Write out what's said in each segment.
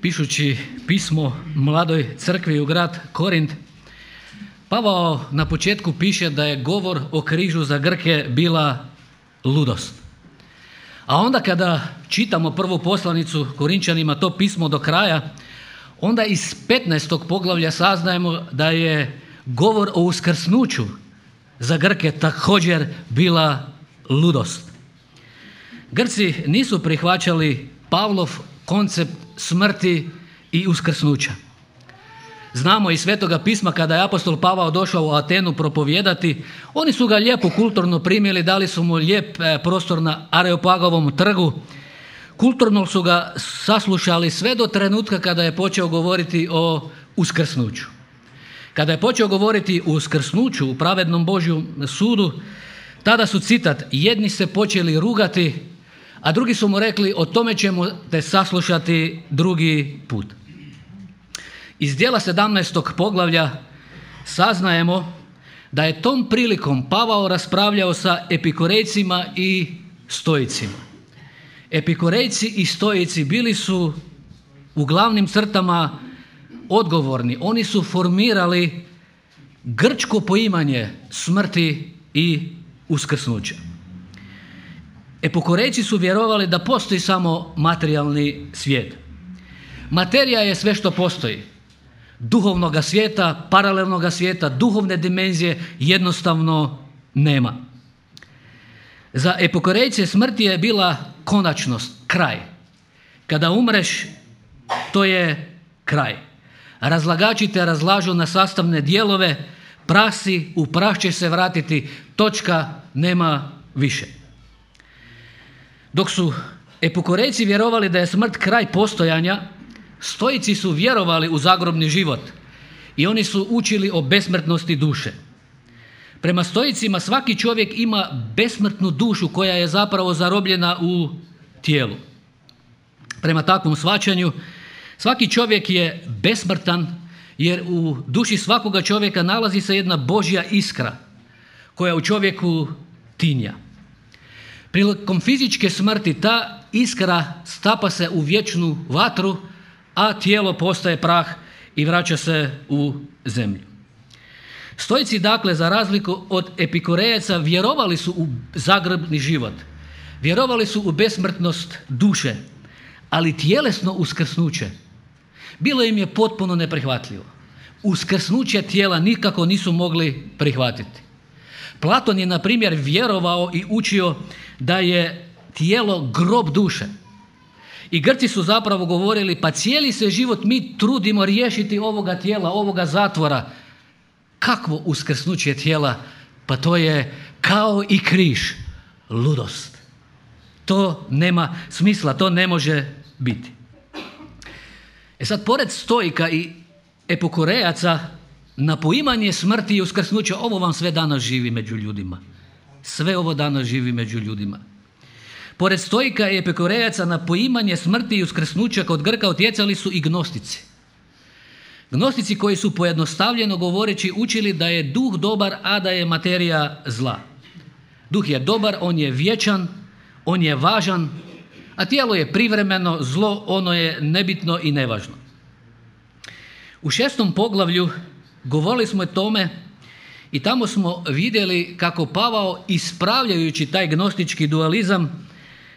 Pišući pismo mladoj crkvi u grad Korint, Pavao na početku piše da je govor o križu za Grke bila ludost. A onda kada čitamo prvu poslanicu Korinčanima, to pismo do kraja, onda iz 15. poglavlja saznajemo da je govor o uskrsnuću za Grke također bila ludost. Grci nisu prihvaćali Pavlov koncept smrti i uskrsnuća. Znamo iz Svetoga pisma kada je apostol Pavao došao u Atenu propovijedati, oni su ga lijepo kulturno primili, dali su mu lijep prostor na Areopagovom trgu, kulturno su ga saslušali sve do trenutka kada je počeo govoriti o uskrsnuću. Kada je počeo govoriti o uskrsnuću u pravednom Božjem sudu, tada su, citat, jedni se počeli rugati, a drugi su mu rekli, o tome ćemo te saslušati drugi put. Iz djela 17. poglavlja saznajemo da je tom prilikom Pavao raspravljao sa epikurejcima i stoicima. Epikurejci i stoici bili su u glavnim crtama odgovorni. Oni su formirali grčko poimanje smrti i uskrsnuća. Epikurejci su vjerovali da postoji samo materijalni svijet. Materija je sve što postoji. Duhovnoga svijeta, paralelnoga svijeta, duhovne dimenzije jednostavno nema. Za epikurejce smrt je bila konačnost, kraj. Kada umreš, to je kraj. Razlagači te razlažu na sastavne dijelove, prah si, u prah će se vratiti, točka, nema više. Dok su epikurejci vjerovali da je smrt kraj postojanja, stoici su vjerovali u zagrobni život i oni su učili o besmrtnosti duše. Prema stoicima svaki čovjek ima besmrtnu dušu koja je zapravo zarobljena u tijelu. Prema takvom shvaćanju svaki čovjek je besmrtan jer u duši svakoga čovjeka nalazi se jedna Božja iskra koja u čovjeku tinja. Prilikom fizičke smrti ta iskra stapa se u vječnu vatru, a tijelo postaje prah i vraća se u zemlju. Stoici, dakle, za razliku od epikurejaca, vjerovali su u zagrobni život, vjerovali su u besmrtnost duše, ali tjelesno uskrsnuće bilo im je potpuno neprihvatljivo. Uskrsnuće tijela nikako nisu mogli prihvatiti. Platon je, na primjer, vjerovao i učio da je tijelo grob duše. I Grci su zapravo govorili, pa cijeli se život mi trudimo riješiti ovoga tijela, ovoga zatvora. Kakvo uskrsnuće tijela? Pa to je kao i križ, ludost. To nema smisla, to ne može biti. Sad, pored stoika i epikurejaca, na poimanje smrti i uskrsnuća, ovo vam sve danas živi među ljudima. Sve ovo danas živi među ljudima. Pored stoika i epikurejaca na poimanje smrti i uskrsnuća kod Grka utjecali su i gnostici. Gnostici koji su, pojednostavljeno govoreći, učili da je duh dobar, a da je materija zla. Duh je dobar, on je vječan, on je važan, a tijelo je privremeno, zlo, ono je nebitno i nevažno. U 6. poglavlju govorili smo o tome i tamo smo vidjeli kako Pavao, ispravljajući taj gnostički dualizam,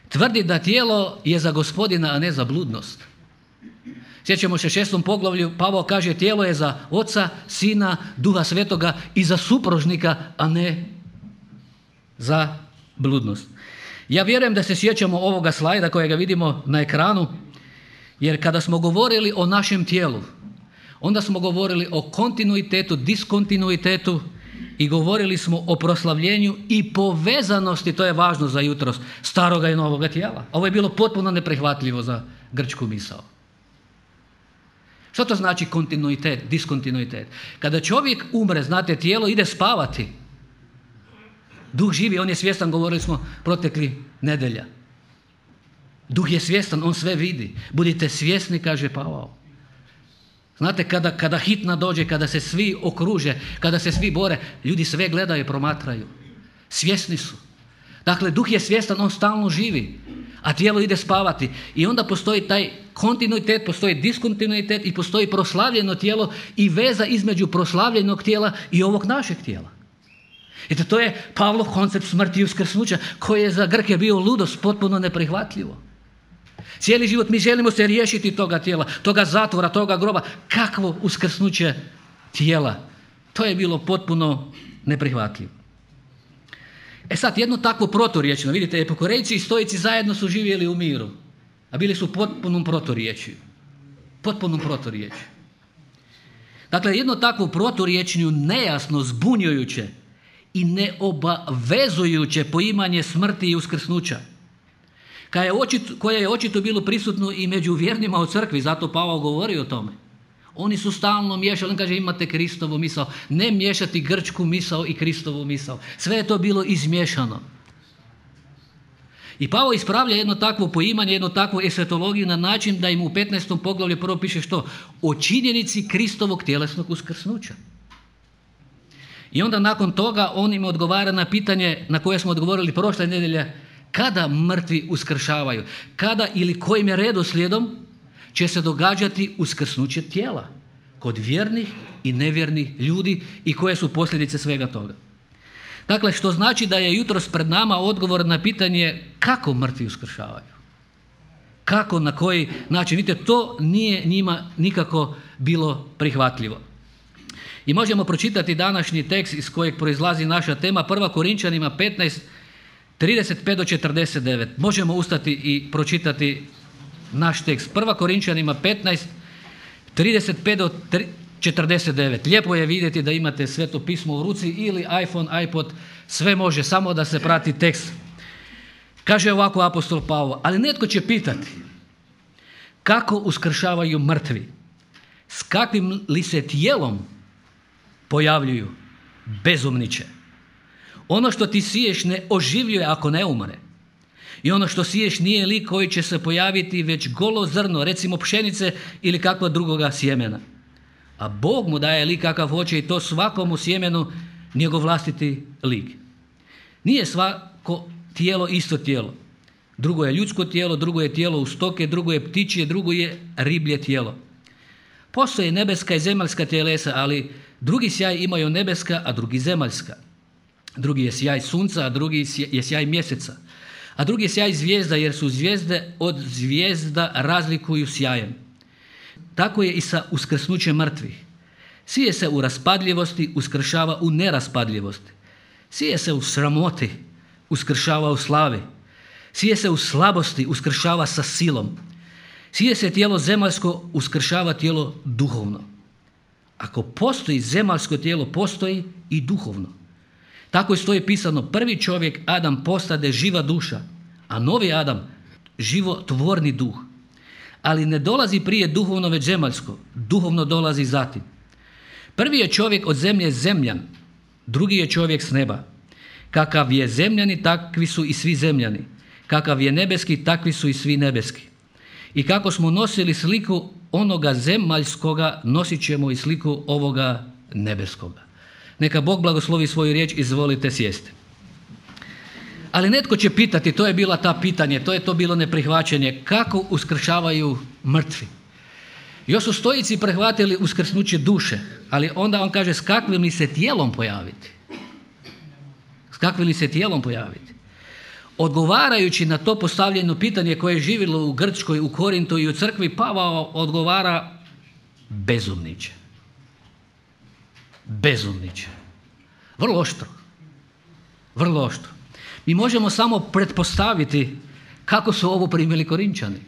tvrdi da tijelo je za Gospodina, a ne za bludnost. Sjećamo se 6. poglavlju, Pavao kaže tijelo je za Oca, Sina, Duha Svetoga i za supružnika, a ne za bludnost. Ja vjerujem da se sjećamo ovoga slajda kojega vidimo na ekranu, jer kada smo govorili o našem tijelu, onda smo govorili o kontinuitetu, diskontinuitetu i govorili smo o proslavljenju i povezanosti, to je važno za jutros, staroga i novoga tijela. Ovo je bilo potpuno neprihvatljivo za grčku misao. Što to znači kontinuitet, diskontinuitet? Kada čovjek umre, znate, tijelo ide spavati. Duh živi, on je svjestan, govorili smo protekli nedjelja. Duh je svjestan, on sve vidi. Budite svjesni, kaže Pavao. Znate, kada hitna dođe, kada se svi okruže, kada se svi bore, ljudi sve gledaju i promatraju. Svjesni su. Dakle, duh je svjestan, on stalno živi. a tijelo ide spavati. I onda postoji taj kontinuitet, postoji diskontinuitet i postoji proslavljeno tijelo i veza između proslavljenog tijela i ovog našeg tijela. I to je Pavlov koncept smrti i uskrsnuća koji je za Grke bio ludost, potpuno neprihvatljivo. Cijeli život mi želimo se riješiti toga tijela, toga zatvora, toga groba. Kakvo uskrsnuće tijela? To je bilo potpuno neprihvatljivo. Sad, jedno takvo proturječno, vidite, epikurejci i stoici zajedno su živjeli u miru, a bili su potpunom proturječju. Potpunom proturječju. Dakle, jedno takvo proturječnju, nejasno, zbunjujuće i neobavezujuće poimanje smrti i uskrsnuća, koje je očito bilo prisutno i među vjernima u crkvi, zato Pavao govori o tome. Oni su stalno miješali, on kaže imate Kristovu misao, ne miješati grčku misao i Kristovu misao. Sve je to bilo izmiješano. I Pavao ispravlja jedno takvo poimanje, jednu takvu estetologiju na način da im u 15. poglavlju prvo piše što? O činjenici Kristovog tjelesnog uskrsnuća. I onda nakon toga on im odgovara na pitanje na koje smo odgovorili prošle nedjelje, kada mrtvi uskršavaju, kada ili kojim je redoslijedom će se događati uskrsnuće tijela kod vjernih i nevjernih ljudi i koje su posljedice svega toga. Dakle, što znači da je jutros pred nama odgovor na pitanje kako mrtvi uskršavaju. Kako, na koji način. Vidite, to nije njima nikako bilo prihvatljivo. I možemo pročitati današnji tekst iz kojeg proizlazi naša tema, 1. Korinčanima 15, 35 do 49. Možemo ustati i pročitati naš tekst. 1. Korinčanima 15, 35 do 49. Lijepo je vidjeti da imate Sveto pismo u ruci ili iPhone, iPod, sve može, samo da se prati tekst. Kaže ovako apostol Pavao, ali netko će pitati kako uskršavaju mrtvi, s kakvim li se tijelom pojavljuju, bezumniče. Ono što ti siješ ne oživljuje ako ne umre. I ono što siješ nije lik koji će se pojaviti, već golo zrno, recimo pšenice ili kakva drugoga sjemena. A Bog mu daje lik kakav hoće i to svakomu sjemenu njegov vlastiti lik. Nije svako tijelo isto tijelo. Drugo je ljudsko tijelo, drugo je tijelo u stoke, drugo je ptičje, drugo je riblje tijelo. Postoje nebeska i zemaljska tjelesa, ali drugi sjaj imaju nebeska, a drugi zemaljska. Drugi je sjaj sunca, a drugi je sjaj mjeseca. A drugi je sjaj zvijezda, jer su zvijezde od zvijezda razlikuju sjajem. Tako je i sa uskrsnućem mrtvih. Sije se u raspadljivosti, uskršava u neraspadljivosti. Sije se u sramoti, uskršava u slavi. Sije se u slabosti, uskršava sa silom. Sije se tijelo zemaljsko, uskršava tijelo duhovno. Ako postoji zemaljsko tijelo, postoji i duhovno. Tako je stoji pisano, prvi čovjek Adam postade živa duša, a novi Adam životvorni duh. Ali ne dolazi prije duhovno već zemaljsko, duhovno dolazi zatim. Prvi je čovjek od zemlje zemljan, drugi je čovjek s neba. Kakav je zemljani, takvi su i svi zemljani. Kakav je nebeski, takvi su i svi nebeski. I kako smo nosili sliku onoga zemaljskoga, nosit ćemo i sliku ovoga nebeskoga. Neka Bog blagoslovi svoju riječ, izvolite sjesti. Ali netko će pitati, to je bila ta pitanje, to je to bilo neprihvaćanje, kako uskršavaju mrtvi. Još su stoici prihvatili uskrsnuće duše, ali onda on kaže s kakvim li se tijelom pojaviti. S kakvim li se tijelom pojaviti. Odgovarajući na to postavljeno pitanje koje je živjelo u Grčkoj, u Korintu i u crkvi, Pavao odgovara bezumniče. Bezumniče. Vrlo oštro. Vrlo oštro. Mi možemo samo pretpostaviti kako su ovo primili Korinčani.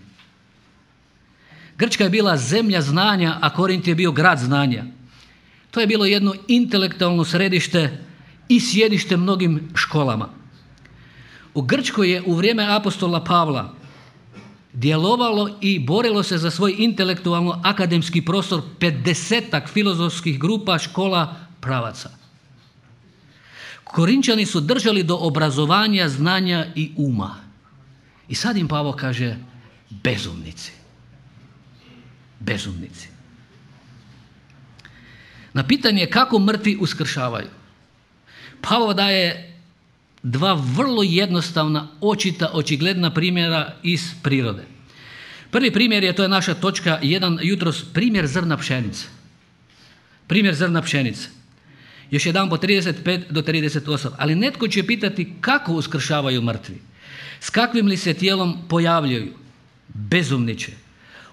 Grčka je bila zemlja znanja, a Korint je bio grad znanja. To je bilo jedno intelektualno središte i sjedište mnogim školama. U Grčkoj je u vrijeme apostola Pavla djelovalo i borilo se za svoj intelektualno akademski prostor 50-ak filozofskih grupa, škola, pravaca. Korinčani su držali do obrazovanja, znanja i uma. I sad im Pavao kaže bezumnici. Bezumnici. Na pitanje kako mrtvi uskršavaju, Pavao daje dva vrlo jednostavna, očigledna primjera iz prirode. Prvi primjer je, to je naša točka 1 jutros, primjer zrna pšenice. Primjer zrna pšenice. Još jedan po 35 do 38. Ali netko će pitati kako uskršavaju mrtvi? S kakvim li se tijelom pojavljuju? Bezumniče.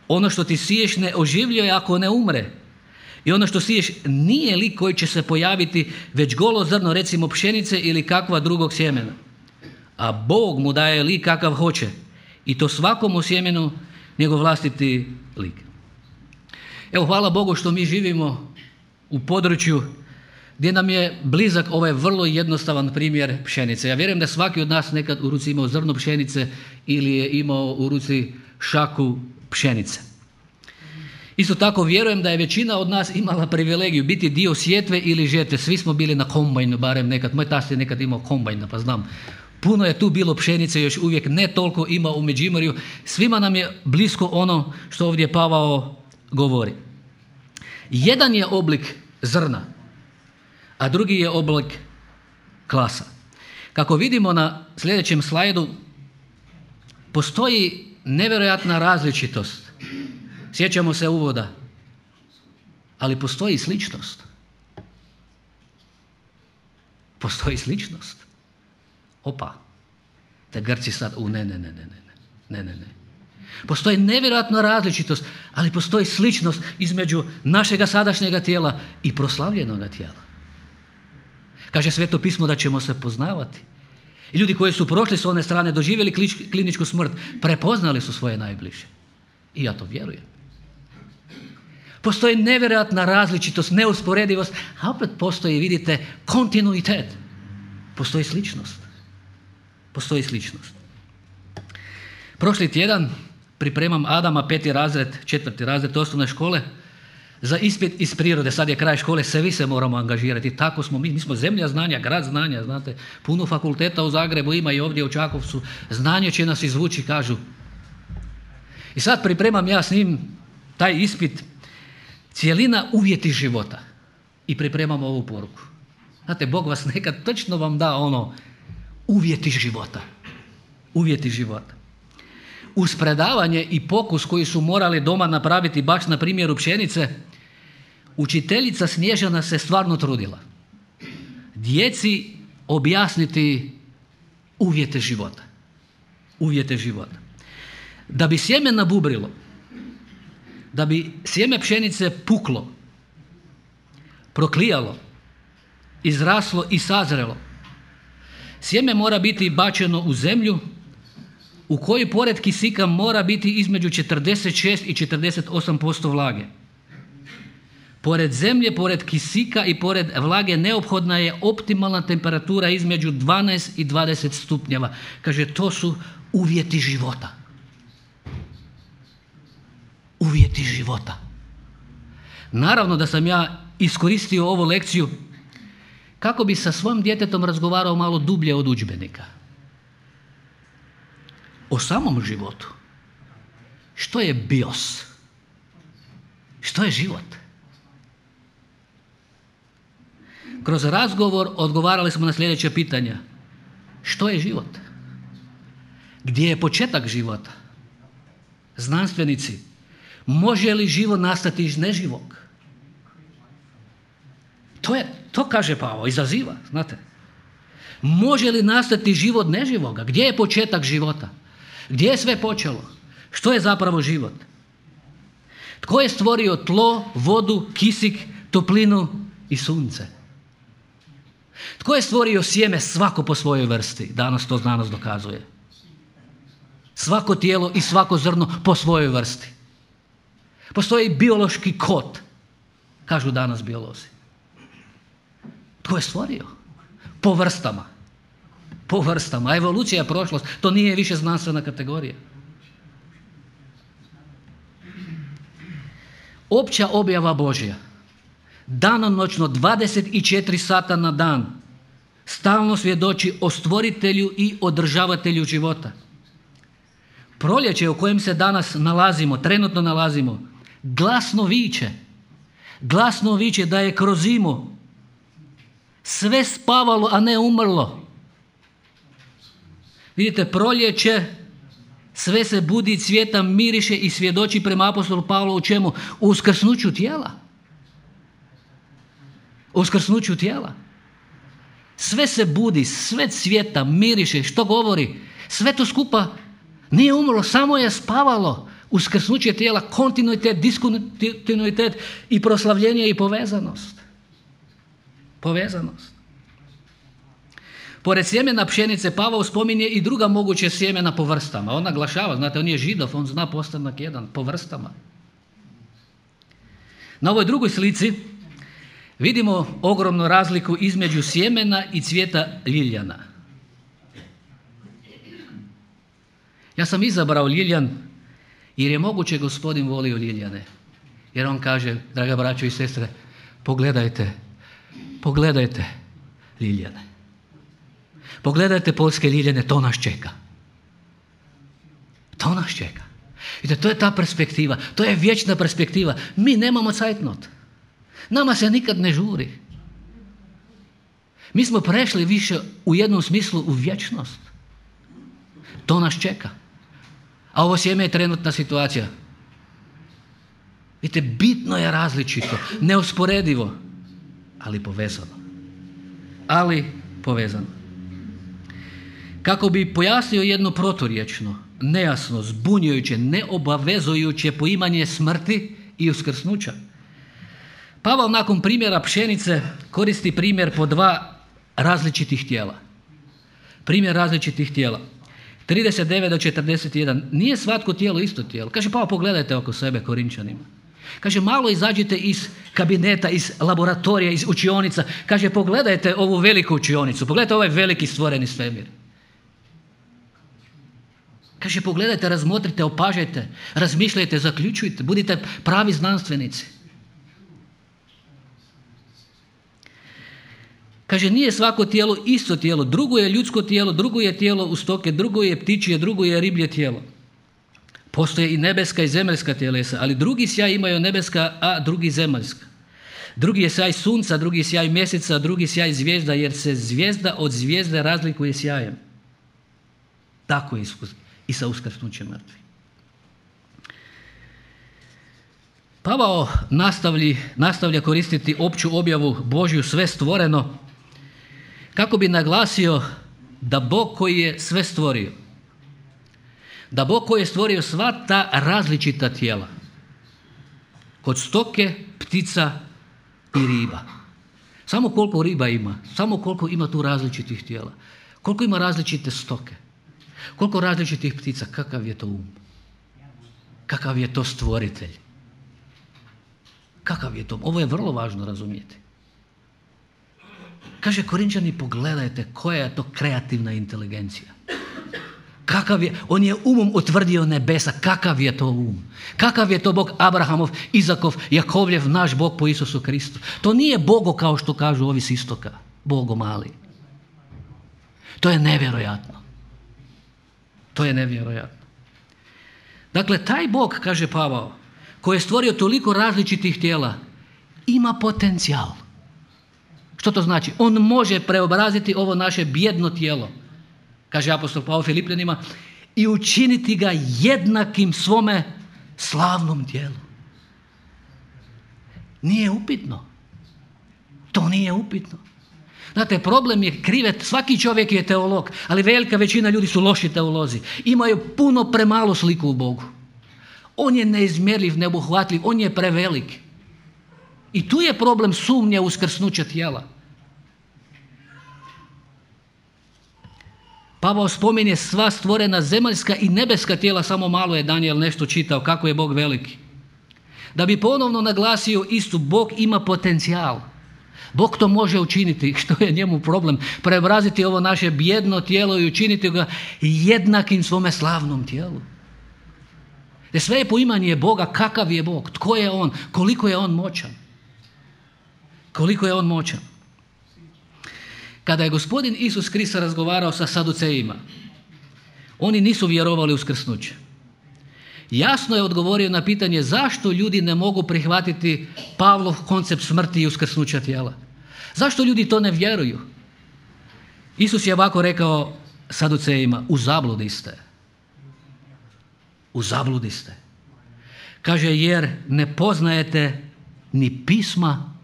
Ono što ti siješ ne oživljuje ako ne umre. I ono što siješ nije lik koji će se pojaviti, već golo zrno, recimo pšenice ili kakva drugog sjemena. A Bog mu daje lik kakav hoće. I to svakomu sjemenu njegov vlastiti lik. Evo, hvala Bogu što mi živimo u području gdje nam je blizak ovaj vrlo jednostavan primjer pšenice. Ja vjerujem da svaki od nas nekad u ruci imao zrno pšenice ili je imao u ruci šaku pšenice. Isto tako vjerujem da je većina od nas imala privilegiju biti dio sjetve ili žetve. Svi smo bili na kombajnu, barem nekad. Moj tast je nekad imao kombajna, pa znam. Puno je tu bilo pšenice, još uvijek ne toliko ima u Međimurju. Svima nam je blisko ono što ovdje Pavao govori. Jedan je oblik zrna, a drugi je oblik klasa. Kako vidimo na sljedećem slajdu, postoji nevjerojatna različitost. Sjećamo se uvoda, ali postoji sličnost. Postoji sličnost. Opa, te Grci sad, ne. Postoji nevjerojatna različitost, ali postoji sličnost između našega sadašnjega tijela i proslavljenoga tijela. Kaže Sveto pismo da ćemo se poznavati. I ljudi koji su prošli s one strane, doživjeli kliničku smrt, prepoznali su svoje najbliže. I ja to vjerujem. Postoji nevjerojatna različitost, neusporedivost, a opet postoji, vidite, kontinuitet. Postoji sličnost. Postoji sličnost. Prošli tjedan pripremam Adama, 5. razred, 4. razred osnovne škole, za ispit iz prirode. Sad je kraj škole, svi se moramo angažirati. Tako smo mi smo zemlja znanja, grad znanja, znate. Puno fakulteta u Zagrebu ima i ovdje u Čakovcu. Znanje će nas izvući, kažu. I sad pripremam ja s njim taj ispit, cijelina uvjeti života. I pripremam ovu poruku. Znate, Bog vas nekad točno vam da ono, uvjeti života. Uvjeti života. Uz predavanje i pokus koji su morali doma napraviti baš na primjeru pšenice, učiteljica Snježana se stvarno trudila djeci objasniti uvjete života. Uvjete života. Da bi sjeme nabubrilo, da bi sjeme pšenice puklo, proklijalo, izraslo i sazrelo, sjeme mora biti bačeno u zemlju u kojoj pored kisika mora biti između 46 i 48% vlage. Pored zemlje, pored kisika i pored vlage neophodna je optimalna temperatura između 12 i 20 stupnjeva. Kaže, to su uvjeti života. Uvjeti života. Naravno da sam ja iskoristio ovu lekciju kako bi sa svojim djetetom razgovarao malo dublje od udžbenika. O samom životu. Što je bios? Što je život? Kroz razgovor odgovarali smo na sljedeće pitanja. Što je život? Gdje je početak života? Znanstvenici, može li život nastati iz neživog? To kaže Pavao, izaziva, znate. Može li nastati život neživoga? Gdje je početak života? Gdje je sve počelo? Što je zapravo život? Tko je stvorio tlo, vodu, kisik, toplinu i sunce? Tko je stvorio sjeme? Svako po svojoj vrsti. Danas to znanost dokazuje. Svako tijelo i svako zrno po svojoj vrsti. Postoji biološki kod, kažu danas biolozi. Tko je stvorio? Po vrstama. Po vrstama. Evolucija je prošlost. To nije više znanstvena kategorija. Opća objava Božja. Danonoćno 24 sata na dan stalno svjedoči o stvoritelju i održavatelju života. Proljeće u kojem se danas nalazimo, trenutno nalazimo, glasno viče. Glasno viče da je kroz zimu sve spavalo, a ne umrlo. Vidite, proljeće, sve se budi, cvjeta, miriše i svjedoči prema apostolu Pavlu u čemu? U uskrsnuću tijela. U uskrsnuću tijela. Sve se budi, sve cvjeta, miriše, što govori? Sve to skupa nije umrlo, samo je spavalo. Uskrsnuće tijela, kontinuitet, diskontinuitet i proslavljenje i povezanost. Povezanost. Pored sjemena pšenice Pavao spominje i druga moguće sjemena po vrstama. On naglašava, znate, on je Židov, on zna postanak jedan, po vrstama. Na ovoj drugoj slici vidimo ogromnu razliku između sjemena i cvijeta ljiljana. Ja sam izabrao ljiljan jer je moguće Gospodin volio ljiljane. Jer on kaže, draga braćo i sestre, pogledajte ljiljane. Pogledajte poljske ljiljane, to nas čeka. To nas čeka. Vidite, to je ta perspektiva, to je vječna perspektiva. Mi nemamo cajtnot. Nama se nikad ne žuri. Mi smo prešli više u jednom smislu u vječnost. To nas čeka. A ovo sjeme je trenutna situacija. Vidite, bitno je različito, neusporedivo, ali povezano. Ali povezano. Kako bi pojasnio jedno proturječno, nejasno, zbunjujuće, neobavezujuće poimanje smrti i uskrsnuća, Pavao nakon primjera pšenice koristi primjer po dva različitih tijela. Primjer različitih tijela. 39 do 41. Nije svatko tijelo isto tijelo. Kaže, pa pogledajte oko sebe, Korinčanima. Kaže, malo izađite iz kabineta, iz laboratorija, iz učionica. Kaže, pogledajte ovu veliku učionicu. Pogledajte ovaj veliki stvoreni svemir. Kaže, pogledajte, razmotrite, opažajte, razmišljajte, zaključujte, budite pravi znanstvenici. Kaže, nije svako tijelo isto tijelo, drugo je ljudsko tijelo, drugo je tijelo u stoke, drugo je ptičje, drugo je riblje tijelo. Postoje i nebeska i zemaljska tjelesa, ali drugi sjaj imaju nebeska, a drugi zemaljska. Drugi je sjaj sunca, drugi sjaj mjeseca, drugi sjaj zvijezda, jer se zvijezda od zvijezde razlikuje sjajem. Tako je i sa uskrsnućem mrtvih. Pavao nastavlja koristiti opću objavu Božju sve stvoreno kako bi naglasio da Bog koji je sve stvorio, da Bog koji je stvorio sva ta različita tijela, kod stoke, ptica i riba. Samo koliko riba ima, samo koliko ima tu različitih tijela, koliko ima različite stoke, koliko različitih ptica, kakav je to um, kakav je to stvoritelj. Kakav je to? Ovo je vrlo važno razumjeti. Kaže, Korinčani, pogledajte koja je to kreativna inteligencija. Kakav je, on je umom utvrdio nebesa, kakav je to um. Kakav je to Bog Abrahamov, Izakov, Jakovljev, naš Bog po Isusu Kristu. To nije Bogo kao što kažu ovi s istoka, Bogo mali. To je nevjerojatno. To je nevjerojatno. Dakle, taj Bog, kaže Pavao, koji je stvorio toliko različitih tijela, ima potencijal. Što to znači? On može preobraziti ovo naše bijedno tijelo, kaže apostol Pavao Filipljanima, i učiniti ga jednakim svome slavnom tijelu. Nije upitno. To nije upitno. Znate, problem je krivet, svaki čovjek je teolog, ali velika većina ljudi su loši teolozi. Imaju puno premalu sliku u Bogu. On je neizmjerljiv, neobuhvatljiv, on je prevelik. I tu je problem sumnje u uskrsnuće tijela. Pavao spominje sva stvorena zemaljska i nebeska tijela, samo malo je Daniel nešto čitao kako je Bog veliki. Da bi ponovno naglasio istu, Bog ima potencijal. Bog to može učiniti, što je njemu problem, preobraziti ovo naše bijedno tijelo i učiniti ga jednakim svome slavnom tijelu. Jer sve je poimanje Boga, kakav je Bog, tko je On, koliko je On moćan. Koliko je On moćan. Kada je Gospodin Isus Krist razgovarao sa Saducejima, oni nisu vjerovali u uskrsnuće. Jasno je odgovorio na pitanje zašto ljudi ne mogu prihvatiti Pavlov koncept smrti i uskrsnuća tijela. Zašto ljudi to ne vjeruju? Isus je ovako rekao Saducejima, u zabludi ste. U zabludi ste. Kaže, jer ne poznajete ni pisma,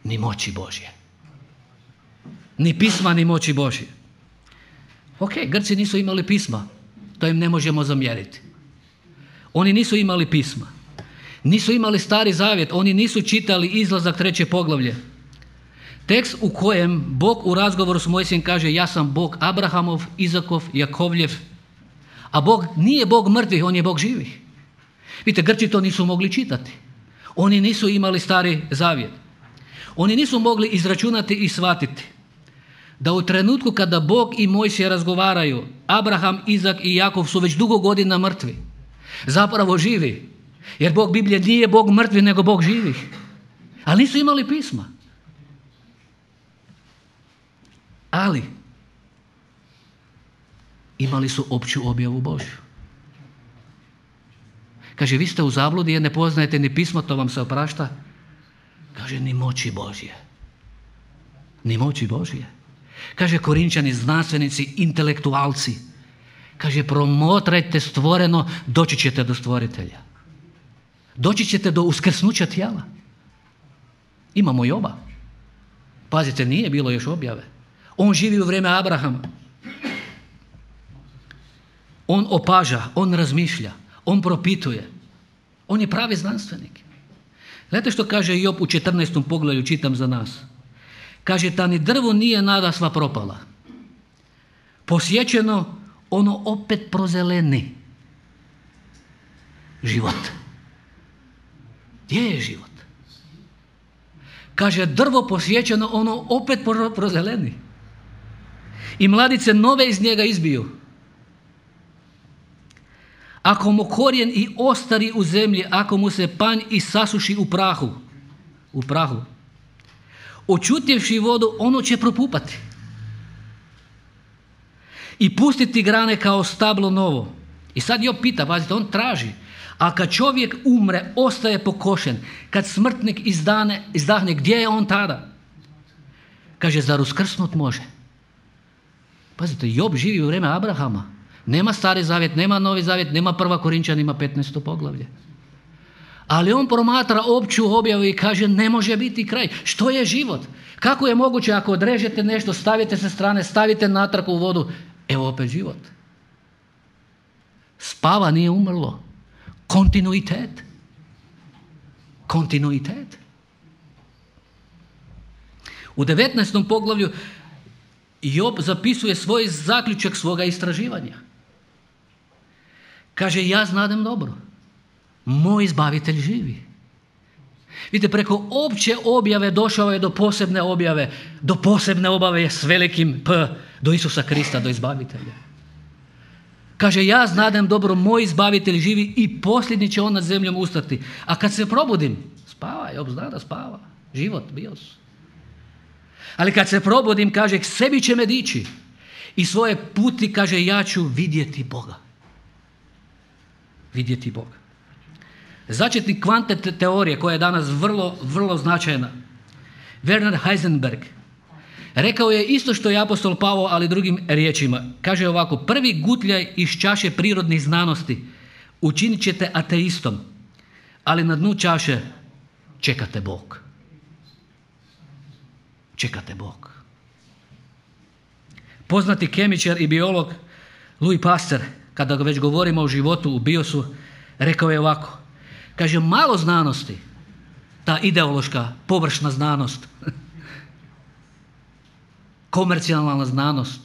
ni moći Božje. Ni pisma, ni moći Božje. Ok, Grci nisu imali pisma. To im ne možemo zamjeriti. Oni nisu imali pisma. Nisu imali Stari Zavjet. Oni nisu čitali Izlazak 3. poglavlje. Tekst u kojem Bog u razgovoru s Mojsijem kaže, ja sam Bog Abrahamov, Izakov, Jakovljev. A Bog nije Bog mrtvih, on je Bog živih. Vidite, Grci to nisu mogli čitati. Oni nisu imali Stari Zavjet. Oni nisu mogli izračunati i shvatiti da u trenutku kada Bog i Mojsije razgovaraju, Abraham, Izak i Jakov su već dugo godina mrtvi. Zapravo živi. Jer Bog Biblije nije Bog mrtvih, nego Bog živih. Ali nisu imali pisma. Ali imali su opću objavu Božju. Kaže, vi ste u zabludi jer ne poznajete ni pismo, to vam se oprašta. Kaže, ni moći Božje. Ni moći Božje. Kaže, Korinčani, znanstvenici, intelektualci. Kaže, promotrajte stvoreno, doći ćete do stvoritelja. Doći ćete do uskrsnuća tijela. Imamo Joba. Pazite, nije bilo još objave. On živi u vrijeme Abrahama. On opaža, on razmišlja, on propituje. On je pravi znanstvenik. Gledajte što kaže Job u 14. poglavlju, čitam za nas. Kaže, ta ni drvo nije nadasva propala. Posjećeno, ono opet prozeleni. Život. Gdje je život? Kaže, drvo posjećeno, ono opet prozeleni. I mladice nove iz njega izbiju. Ako mu korijen i ostari u zemlji, ako mu se panj i sasuši u prahu, očutjevši vodu, ono će propupati. I pustiti grane kao stablo novo. I sad Job pita, pazite, on traži, a kad čovjek umre, ostaje pokošen, kad smrtnik izdahne, gdje je on tada? Kaže, zar uskrsnut može? Pazite, Job živi u vrijeme Abrahama. Nema Stari Zavjet, nema Novi Zavjet, nema 1. Korinčanima 15. poglavlje. Ali on promatra opću objavu i kaže, ne može biti kraj. Što je život? Kako je moguće ako odrežete nešto, stavite sa strane, stavite natrag u vodu, evo opet život. Spava, nije umrlo. Kontinuitet. Kontinuitet. U 19. poglavlju Job zapisuje svoj zaključak svoga istraživanja. Kaže, ja znadem dobro. Moj izbavitelj živi. Vidite, preko opće objave došao je do posebne objave. Do posebne objave s velikim P. Do Isusa Krista, do izbavitelja. Kaže, ja znadem dobro, moj izbavitelj živi i posljednji će on nad zemljom ustati. A kad se probudim, spava, Job zna da spava. Život, bios. Ali kad se probudim, kaže, k sebi će me dići. I svoje puti, kaže, ja ću vidjeti Boga. Vidjeti Boga. Začetnik kvantne teorije, koja je danas vrlo, vrlo značajna, Werner Heisenberg, rekao je isto što je apostol Pavao, ali drugim riječima. Kaže ovako, prvi gutljaj iz čaše prirodnih znanosti učinit ćete ateistom, ali na dnu čaše čekate Bog. Čekate Bog. Poznati kemičar i biolog Louis Pasteur, kada već govorimo o životu u biosu, rekao je ovako. Kaže, malo znanosti, ta ideološka, površna znanost, komercijalna znanost.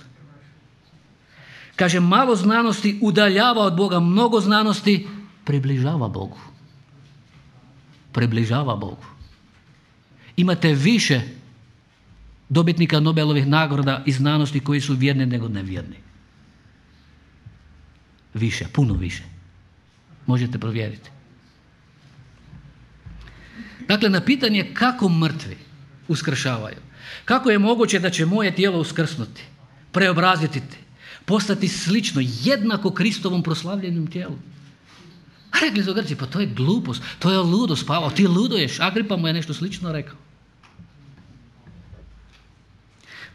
Kaže, malo znanosti udaljava od Boga, mnogo znanosti približava Bogu. Približava Bogu. Imate više dobitnika Nobelovih nagrada i znanosti koji su vjerni nego nevjerni. Više, puno više. Možete provjeriti. Dakle, na pitanje kako mrtvi uskršavaju, kako je moguće da će moje tijelo uskrsnuti, preobraziti, postati slično, jednako Kristovom proslavljenom tijelu. A rekli su Grci, pa to je glupost, to je ludost, Pavao, ti luduješ. Agripa mu je nešto slično rekao.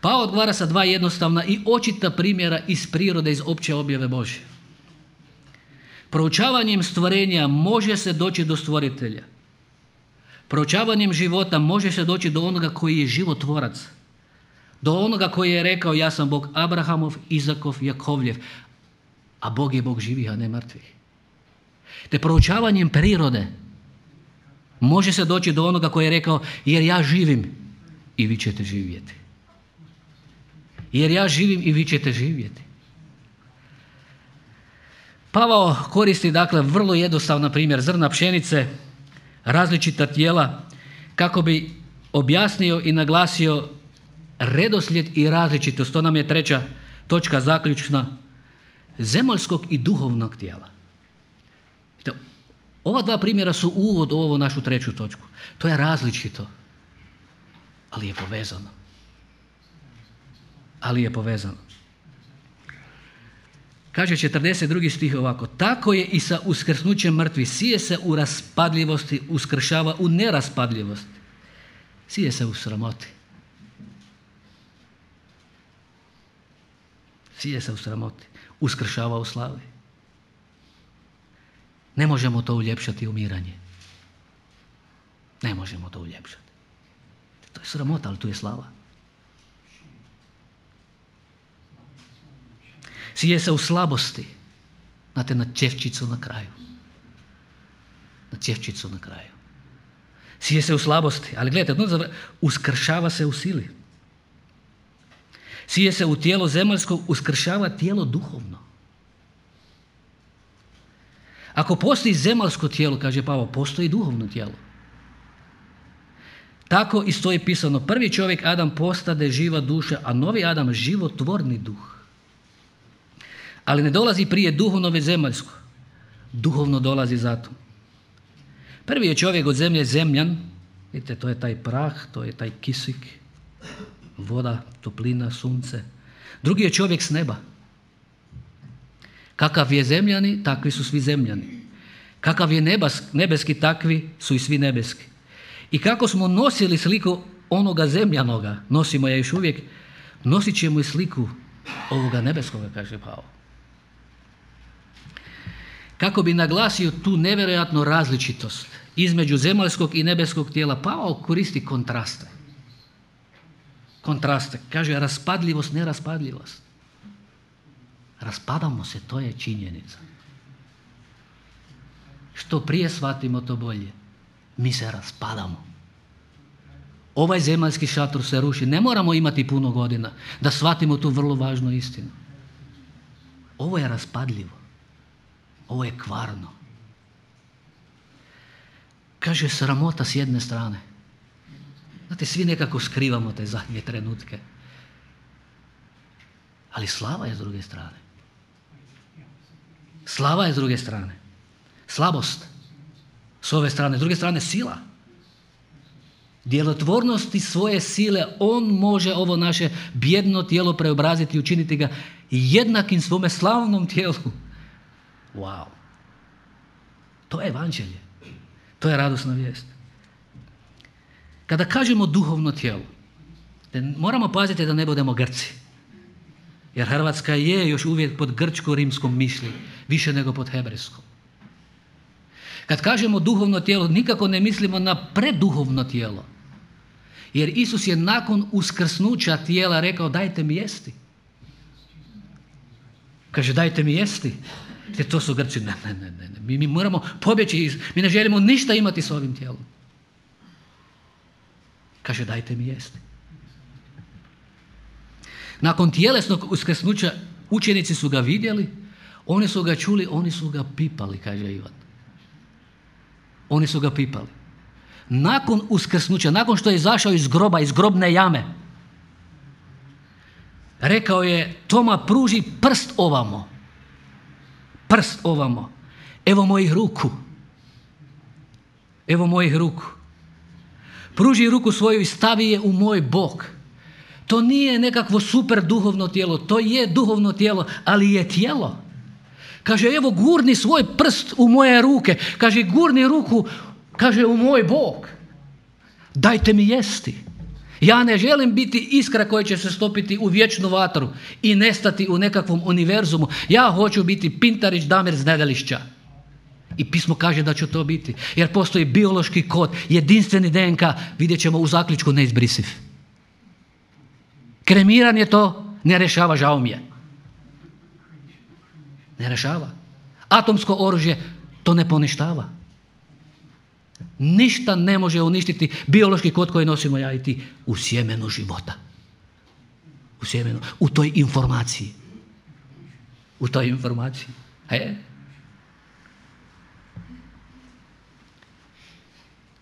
Pa odgovara sa dva jednostavna i očita primjera iz prirode, iz opće objave Božje. Proučavanjem stvorenja može se doći do stvoritelja. Proučavanjem života može se doći do onoga koji je životvorac. Do onoga koji je rekao ja sam Bog Abrahamov, Izakov, Jakovljev. A Bog je Bog živih, a ne mrtvih. Te proučavanjem prirode može se doći do onoga koji je rekao jer ja živim i vi ćete živjeti. Jer ja živim i vi ćete živjeti. Pavao koristi dakle vrlo jednostavan primjer zrna pšenice, različita tijela, kako bi objasnio i naglasio redoslijed i različitost. To nam je treća točka zaključna, zemaljskog i duhovnog tijela. Ova dva primjera su uvod u ovu našu treću točku. To je različito, ali je povezano. Ali je povezano. Kaže 42. stih ovako: tako je i sa uskrsnućem mrtvih, sije se u raspadljivosti, uskršava u neraspadljivosti. Sije se u sramoti. Sije se u sramoti, uskršava u slavi. Ne možemo to uljepšati umiranje. Ne možemo to uljepšati. To je sramota, ali tu je slava. Sije se u slabosti. Znate, na ćevčicu na kraju. Na ćevčicu na kraju. Sije se u slabosti. Ali gledajte, uskršava se u sili. Sije se u tijelo zemaljsko, uskršava tijelo duhovno. Ako postoji zemaljsko tijelo, kaže Pavao, postoji duhovno tijelo. Tako i stoji pisano: prvi čovjek Adam postade živa duša, a novi Adam životvorni duh. Ali ne dolazi prije duhovno već zemaljsko. Duhovno dolazi zato. Prvi je čovjek od zemlje zemljan. Vidite, to je taj prah, to je taj kisik, voda, toplina, sunce. Drugi je čovjek s neba. Kakav je zemljani, takvi su svi zemljani. Kakav je nebeski, takvi su i svi nebeski. I kako smo nosili sliku onoga zemljanoga, nosimo je još uvijek, nosit ćemo i sliku ovoga nebeskoga, kaže Pavao. Kako bi naglasio tu nevjerojatnu različitost između zemaljskog i nebeskog tijela, Pavao koristi kontraste. Kontraste. Kaže raspadljivost, neraspadljivost. Raspadamo se, to je činjenica. Što prije shvatimo, to bolje. Mi se raspadamo. Ovaj zemaljski šator se ruši. Ne moramo imati puno godina da shvatimo tu vrlo važnu istinu. Ovo je raspadljivo. Ovo je kvarno. Kaže sramota s jedne strane. Znate, svi nekako skrivamo te zadnje trenutke. Ali slava je s druge strane. Slava je s druge strane. Slabost s ove strane. S druge strane sila. Djelotvornosti svoje sile on može ovo naše bijedno tijelo preobraziti i učiniti ga jednakim svome slavnom tijelu. Wow. To je evanđelje. To je radosna vijest. Kada kažemo duhovno tijelo, moramo paziti da ne budemo Grci. Jer Hrvatska je još uvijek pod grčko-rimskom mišlji, više nego pod hebrejskom. Kad kažemo duhovno tijelo, nikako ne mislimo na preduhovno tijelo. Jer Isus je nakon uskrsnuća tijela rekao dajte mi jesti. Kaže dajte mi jesti. Jer to su Grci, ne. Mi moramo pobjeći, mi ne želimo ništa imati s ovim tijelom. Kaže dajte mi jesti. Nakon tjelesnog uskrsnuća učenici su ga vidjeli, oni su ga čuli, oni su ga pipali, kaže Ivan. Oni su ga pipali. Nakon uskrsnuća, nakon što je izašao iz groba, iz grobne jame, rekao je Toma pruži prst ovamo. Prst ovamo. Evo mojih ruku. Evo mojih ruku. Pruži ruku svoju i stavi je u moj bok. To nije nekakvo super duhovno tijelo, to je duhovno tijelo, ali je tijelo. Kaže, evo gurni svoj prst u moje ruke. Kaže, gurni ruku, kaže, u moj bok. Dajte mi jesti. Ja ne želim biti iskra koja će se stopiti u vječnu vatru i nestati u nekakvom univerzumu. Ja hoću biti Pintarić Damir z Nedelišća. I pismo kaže da ću to biti. Jer postoji biološki kod, jedinstveni DNK, vidjet ćemo u zaključku neizbrisiv. Kremiranje to ne rješava, žao mi je. Ne rješava. Atomsko oružje to ne poništava. Ništa ne može uništiti biološki kod koji nosimo ja i ti u sjemenu života. U sjemenu, u toj informaciji. U toj informaciji.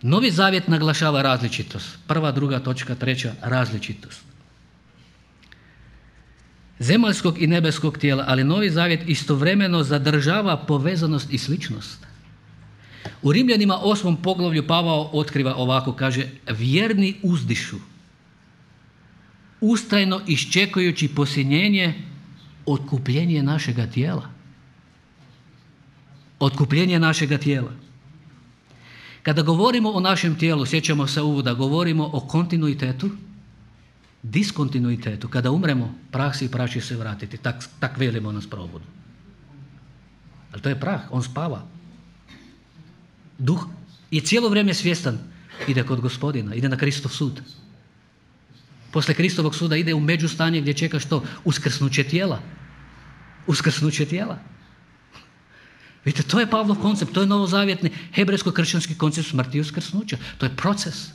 Novi Zavjet naglašava različitost. 1., 2. točka, 3. različitost. Zemaljskog i nebeskog tijela, ali Novi Zavjet istovremeno zadržava povezanost i sličnost. U Rimljanima 8. poglavlju Pavao otkriva ovako, kaže: vjerni uzdišu, ustrajno iščekujući posljednjenje, otkupljenje našega tijela. Otkupljenje našega tijela. Kada govorimo o našem tijelu, sjećamo se uvoda, govorimo o kontinuitetu, diskontinuitetu. Kada umremo, prah si i prah će se vratiti. Tak velimo nas probudu. Ali to je prah, on spava. Duh je cijelo vrijeme svjestan, ide kod Gospodina, ide na Kristov sud. Poslije Kristovog suda ide u međustanje gdje čeka što? Uskrsnuće tijela. Uskrsnuće tijela. Vidite, to je Pavlov koncept, to je novozavjetni hebrejsko-kršćanski koncept smrti i uskrsnuća. To je proces.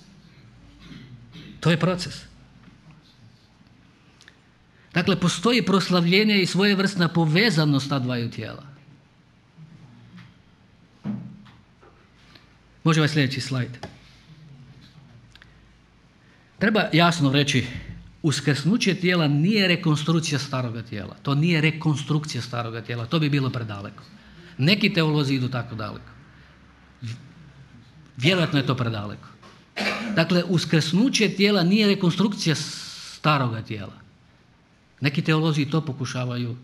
To je proces. Dakle, postoji proslavljenje i svojevrsna povezanost ta dvaju tijela. Može ovaj sljedeći slajd. Treba jasno reći, uskrsnuće tijela nije rekonstrukcija staroga tijela. To nije rekonstrukcija staroga tijela. To bi bilo predaleko. Neki teolozi idu tako daleko. Vjerojatno je to predaleko. Dakle, uskrsnuće tijela nije rekonstrukcija staroga tijela. Neki teolozi to pokušavaju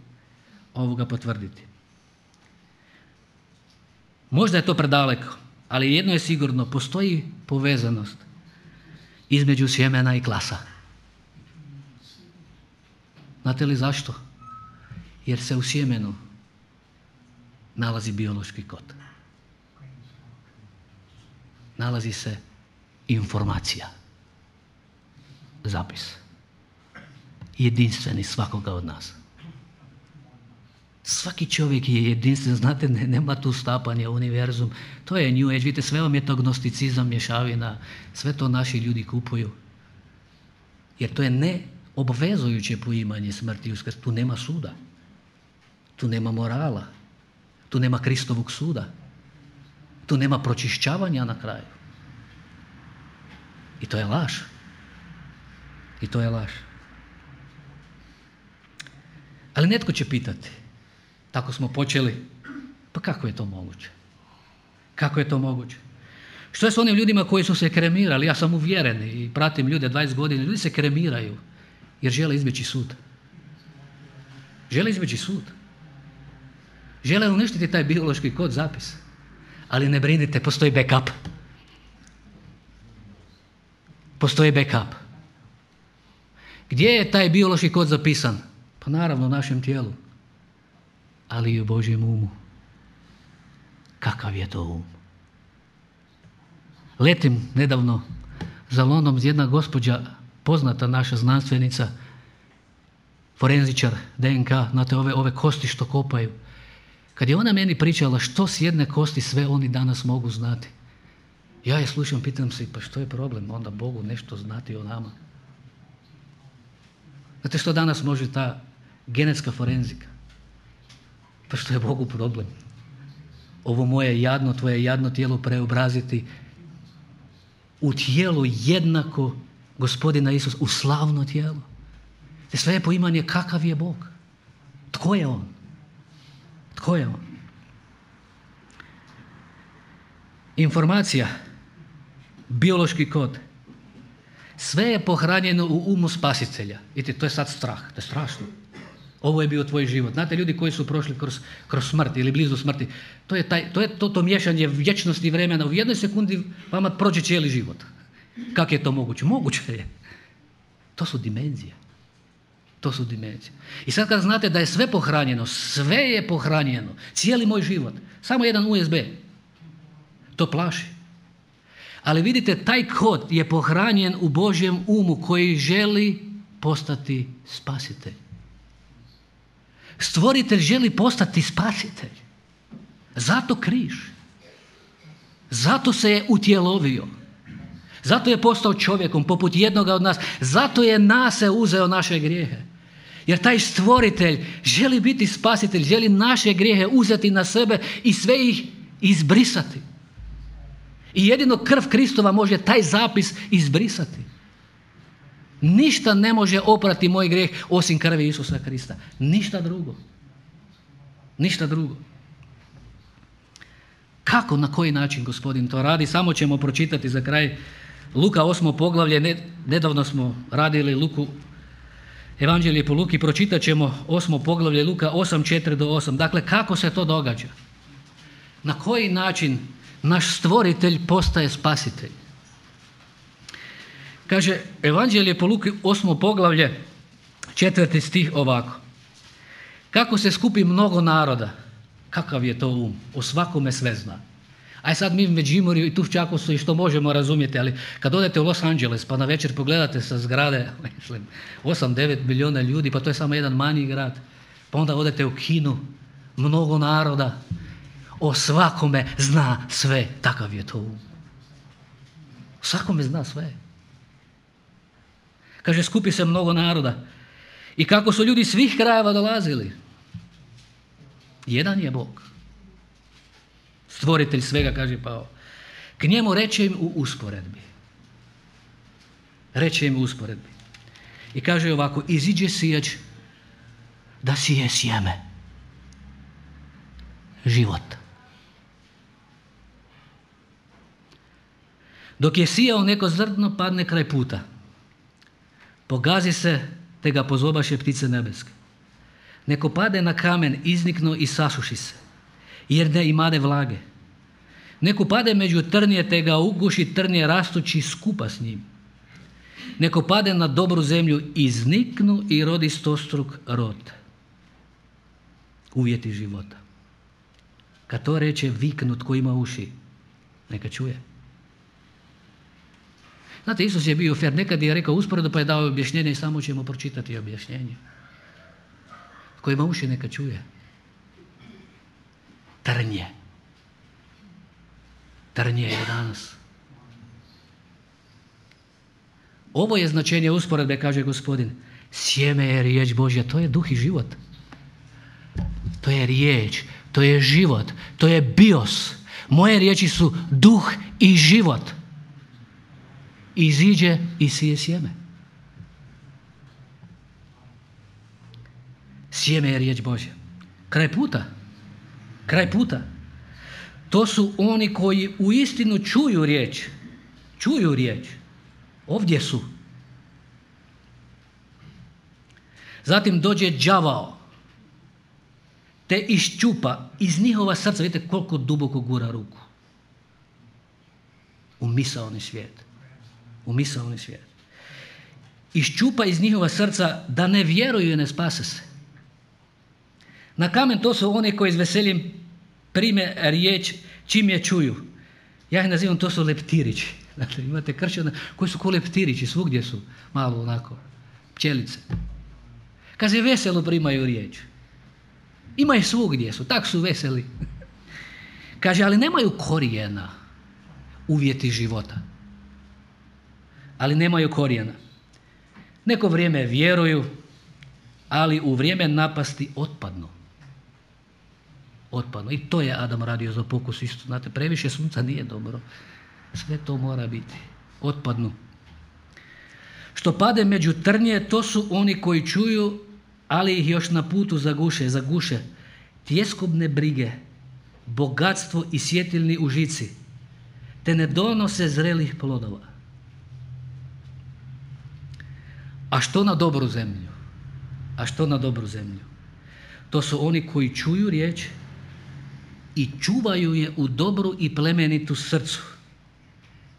potvrditi. Možda je to predaleko, ali jedno je sigurno, postoji povezanost između sjemena i klasa. Znate li zašto? Jer se u sjemenu nalazi biološki kod. Nalazi se informacija. Zapis. Jedinstveni svakoga od nas. Svaki čovjek je jedinstven, znate, nema tu stapanja u univerzum. To je New Age, vidite, sve vam je to gnosticizam, mješavina, sve to naši ljudi kupuju. Jer to je neobvezujuće poimanje smrti i uskrsa. Tu nema suda. Tu nema morala. Tu nema Kristovog suda. Tu nema pročišćavanja na kraju. I to je laž. I to je laž. Ali netko će pitati, tako smo počeli, pa kako je to moguće? Kako je to moguće? Što je s onim ljudima koji su se kremirali? Ja sam uvjeren i pratim ljude 20 godina, ljudi se kremiraju jer žele izbjeći sud. Žele izbjeći sud. Žele uništiti taj biološki kod, zapis. Ali ne brinite, postoji backup. Postoji backup. Gdje je taj biološki kod zapisan? Pa naravno u našem tijelu. Ali i u Božjem umu. Kakav je to um? Letim nedavno za London jedna gospođa, poznata naša znanstvenica, forenzičar, DNK, znate ove kosti što kopaju. Kad je ona meni pričala što s jedne kosti sve oni danas mogu znati, ja je slušam, pitam se, pa što je problem onda Bogu nešto znati o nama? Znate što danas može ta genetska forenzika? Pa što je Bogu problem? Ovo moje jadno, tvoje jadno tijelo preobraziti u tijelo jednako Gospodina Isusa, u slavno tijelo. Te sve je poimanje kakav je Bog. Tko je On? Tko je On? Informacija, biološki kod, sve je pohranjeno u umu spasitelja. Vidite, to je sad strah, to je strašno. Ovo je bio tvoj život. Znate, ljudi koji su prošli kroz smrt ili blizu smrti, to je to miješanje vječnosti i vremena. U jednoj sekundi vama prođe cijeli život. Kako je to moguće? Moguće je. To su dimenzije. To su dimenzije. I sad kad znate da je sve pohranjeno, sve je pohranjeno, cijeli moj život, samo jedan USB, to plaši. Ali vidite, taj kod je pohranjen u Božjem umu koji želi postati spasitelj. Stvoritelj želi postati spasitelj. Zato križ. Zato se je utjelovio. Zato je postao čovjekom poput jednoga od nas. Zato je nas uzeo naše grijehe. Jer taj stvoritelj želi biti spasitelj, želi naše grijehe uzeti na sebe i sve ih izbrisati. I jedino krv Kristova može taj zapis izbrisati. Ništa ne može oprati moj grijeh osim krvi Isusa Krista. Ništa drugo. Ništa drugo. Kako, na koji način Gospodin to radi? Samo ćemo pročitati za kraj Luka 8. poglavlje. Nedavno smo radili Luku, Evanđelje po Luki, pročitat ćemo 8. poglavlje Luka 8:4-8. Dakle, kako se to događa? Na koji način naš stvoritelj postaje spasitelj? Kaže Evanđelje po Luki 8. poglavlje 4. stih ovako. Kako se skupi mnogo naroda, kakav je to um, o svakome sve zna. Aj sad mi u Međimurju i tu u Čakovcu i što možemo razumjeti, ali kad odete u Los Angeles pa na večer pogledate sa zgrade 8-9 milijuna ljudi, pa to je samo jedan manji grad, pa onda odete u kinu, mnogo naroda, o svakome zna sve, takav je to um. O svakome zna sve. Kaže, skupi se mnogo naroda. I kako su ljudi svih krajeva dolazili. Jedan je Bog. Stvoritelj svega, kaže Pavao. K njemu reče im u usporedbi. Reče im u usporedbi. I kaže ovako, iziđe sijač da sije sjeme. Život. Dok je sijao, neko zrno padne kraj puta. Pogazi se, te ga pozobaše ptice nebeske. Neko pade na kamen, izniknu i sasuši se, jer ne imade vlage. Neko pade među trnje, te ga uguši trnje rastući skupa s njim. Neko pade na dobru zemlju, izniknu i rodi stostruk rod. Uvjeti života. Kad to reče, viknut ko ima uši, neka čuje. Znate, Isus je bio fer, nekad je rekao usporedo pa je dao objašnjenje i samo ćemo pročitati objašnjenje. Ko ima uši neka čuje. Trnje. Trnje je danas. Ovo je značenje usporedbe, kaže Gospodin. Sjeme je riječ Božja, to je duh i život. To je riječ, to je život, to je bios. Moje riječi su duh i život. Iziđe i sije sjeme. Sjeme je riječ Božja. Kraj puta. Kraj puta. To su oni koji uistinu čuju riječ. Čuju riječ. Ovdje su. Zatim dođe đavao. Te iščupa iz njihova srca. Vidite koliko duboko gura ruku. U misaoni svijet. U misaoni svijet. Iščupa iz njihova srca da ne vjeruju i ne spase se. Na kamen to su oni koji s veseljem prime riječ čim je čuju. Ja ih nazivam, to su leptirići. Dakle, imate kršćana koji su ko leptirići, svugdje su malo onako, pčelice. Kaže, veselo primaju riječ. Ima ih svugdje su, tak su veseli. Kaže, ali nemaju korijena, uvjeti života. Ali nemaju korijena. Neko vrijeme vjeruju, ali u vrijeme napasti otpadnu. Otpadnu. I to je Adam radio za pokus isto. Znate, previše sunca nije dobro. Sve to mora biti. Otpadnu. Što pade među trnje, to su oni koji čuju, ali ih još na putu zaguše. Tjeskobne brige, bogatstvo i svjetilni užici, te ne donose zrelih plodova. A što na dobru zemlju? A što na dobru zemlju? To su oni koji čuju riječ i čuvaju je u dobru i plemenitu srcu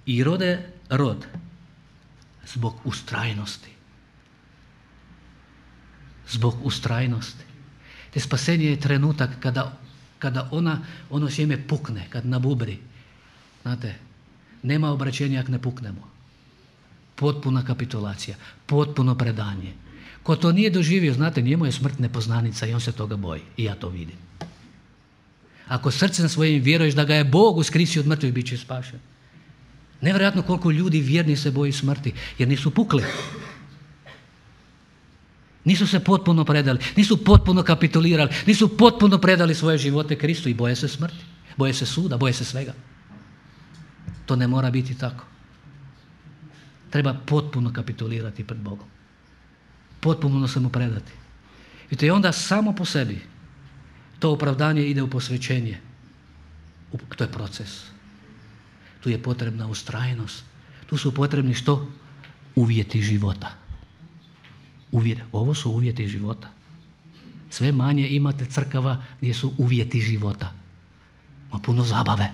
i rode rod zbog ustrajnosti. zbog ustrajnosti. Te spasenje je trenutak kada ono sjeme pukne, kad nabubri. Znate, nema obraćenja ako ne puknemo. Potpuna kapitulacija, potpuno predanje. Ko to nije doživio, znate, njemu je smrt nepoznanica i on se toga boji. I ja to vidim. Ako srcem svojim vjeruješ da ga je Bog uskrisio od mrtvih, bit će spašen. Nevjerojatno koliko ljudi vjerni se boji smrti, jer nisu pukli. Nisu se potpuno predali, nisu potpuno kapitulirali, nisu potpuno predali svoje živote Kristu i boje se smrti, boje se suda, boje se svega. To ne mora biti tako. Treba potpuno kapitulirati pred Bogom. Potpuno se mu predati. Vidite, i onda samo po sebi to opravdanje ide u posvećenje. To je proces. Tu je potrebna ustrajnost. Tu su potrebni što? Uvjeti života. Ovo su uvjeti života. Sve manje imate crkava gdje su uvjeti života. Ima puno zabave.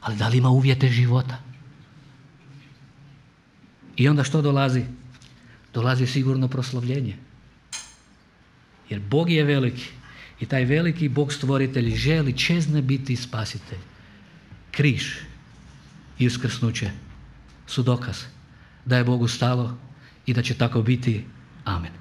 Ali da li ima uvjete života? I onda što dolazi? Dolazi sigurno proslavljenje. Jer Bog je veliki. I taj veliki Bog stvoritelj želi čezne biti spasitelj. Križ i uskrsnuće su dokaz da je Bogu stalo i da će tako biti. Amen.